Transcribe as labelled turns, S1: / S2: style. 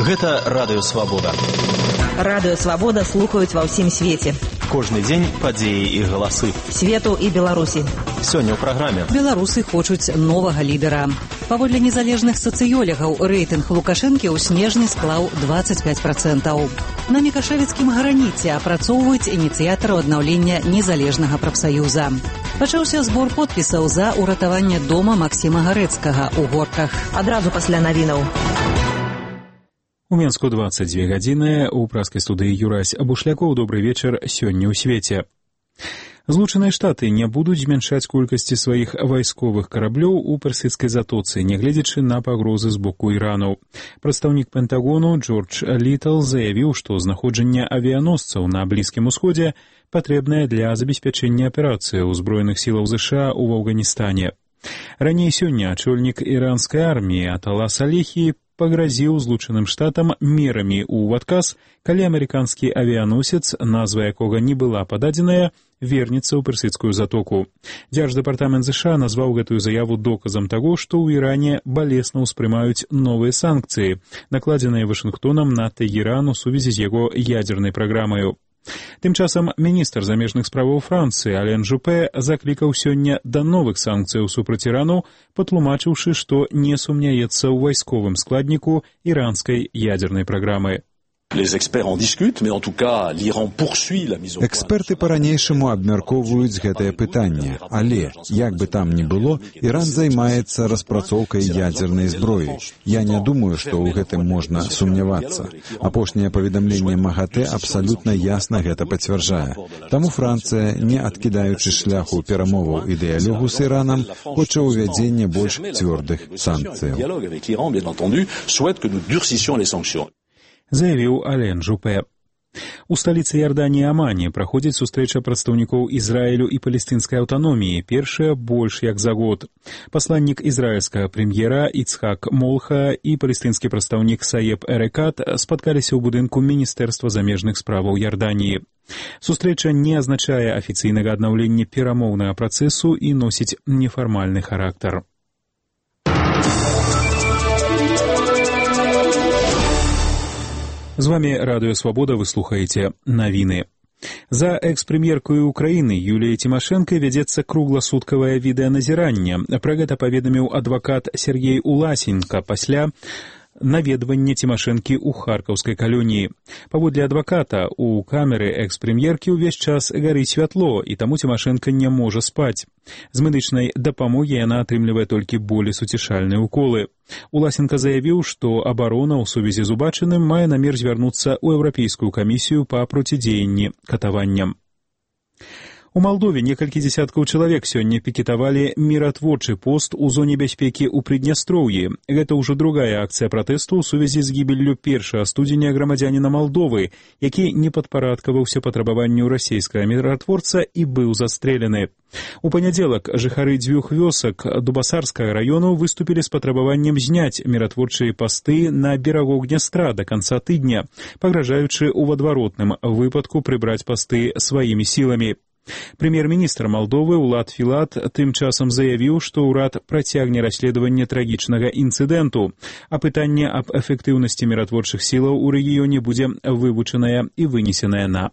S1: Гэта Радыё Свабода.
S2: Радыё Свабода слухаюць ва ўсім свеце.
S1: Кожны дзень падзеі і галасы.
S2: Свету і Беларусі.
S1: Сёння ў праграме.
S3: Беларусы хочуць новага лідара. Паводле незалежных сацыёлегаў, рэйтынг Лукашэнкі ў снежні склаў 25%. На Мікашэвіцкім граніце апрацоўваюць ініцыятару аднаўлення незалежнага прафсаюза. Пачаўся збор подпісаў за ўратаванне дома Максіма Гарэцкага ў Горках.
S2: Адразу пасля навінаў.
S4: У Менску 22 гадзіны, у праскай студыі Юрась Бушлякоў. Добрый вечар, сёння ў свеце. Злучаныя Штаты не будуць змяншаць колькасці сваіх вайсковых караблёў у персідскай затоцы, нягледзячы на пагрозы з боку Ірану. Прадстаўнік Пентагону Джордж Літл заявіў, што знаходжанне авіяносцаў на Блізкім Усходзе патрэбнае для забеспячэння аперацыі ўзброеных сілаў США ў Афганістане. Раней сёння ачольнік іранскай арміі Атала Салехі пагразіў Злучаным Штатам мерамі ў адказ, калі амерыканскі авіяносец, назва якога не была пададзеная, вернецца ў персідскую затоку. Дзярждэпартамент США назваў гэтую заяву доказам таго, што ў Іране балесна ўспрымаюць новыя санкцыі, накладзеныя Вашынгтонам на Тэгеран у сувязі з яго ядзернай праграмаю. Тым часам міністр замежных справаў Францыі Ален Жупе заклікаў сёння да новых санкцыяў супраць Ірану, патлумачыўшы, што не сумняецца ў вайсковым складніку іранскай ядзернай праграмы.
S5: Эксперты па-ранейшаму абмяркоўваюць гэтае пытанне, але, як бы там ні было, Іран займаецца распрацоўкай ядзернай зброі. Я не думаю, што ў гэтым можна сумнявацца. Апошняе паведамленне МАГАТЭ абсалютна ясна гэта пацвярджае. Таму Францыя, не адкідаючы шляху перамоваў і дыялогу з Іранам, хоча ўвядзення больш цвёрдых санкцыяў.
S4: Заявіў Ален Жупе. У сталіцы Іорданіі Амане праходзіць сустрэча прадстаўнікоў Ізраілю і палестынскай аўтаноміі, першая больш як за год. Пасланнік ізраільскага прэм'ера Ицхак Молха і палестынскі прадстаўнік Саеб Эрекат спаткаліся ў будынку Міністэрства замежных справаў Іорданіі. Сустрэча не азначае афіцыйнага аднаўлення перамоўнага працэсу і носіць нефармальны характар. З вами Радыё Свабода, вы слухаеце навіны. За экс-прэм'еркаю Украіны Юліяй Тимошенко вядзецца кругласуткавае відэаназіранне. Пра гэта паведаміў адвакат Сергей Уласенко пасля наведвання Тимошенкі ў харкаўскай калоніі. Паводле адваката, у камеры экс-прэм'еркі ўвесь час гарыць святло, і таму Тимошенко не можа спаць. З медычнай дапамогі яна атрымлівае толькі болесуцішальныя уколы. Уласенко заявіў, што абарона ў сувязі з убачаным мае намер звярнуцца ў Еўрапейскую камісію па процідзеянні катаванням. У Малдове некалькі дзесяткаў чалавек сёння пікетавалі міратворчы пост у зоне бяспекі ў Прыднястроўі. Гэта ўжо другая акцыя пратэсту ў сувязі з гібеллю першага студзеня грамадзяніна Малдовы, які не падпарадкаваўся патрабаванню расейскага міратворца і быў застрэлены. У панядзелак жыхары дзвюх вёсак Дубасарскага раёну выступілі з патрабаваннем зняць міратворчыя пасты на берагу Днястра да канца тыдня, пагражаючы ў адваротным выпадку прыбраць пасты сваімі сіламі. Прэм'ер-міністр Малдовы Улад Філат тым часам заявіў, што ўрад працягне расследаванне трагічнага інцыдэнту, а пытанне аб эфектыўнасці міратворчых сілаў у рэгіёне будзе вывучанае і вынесенае на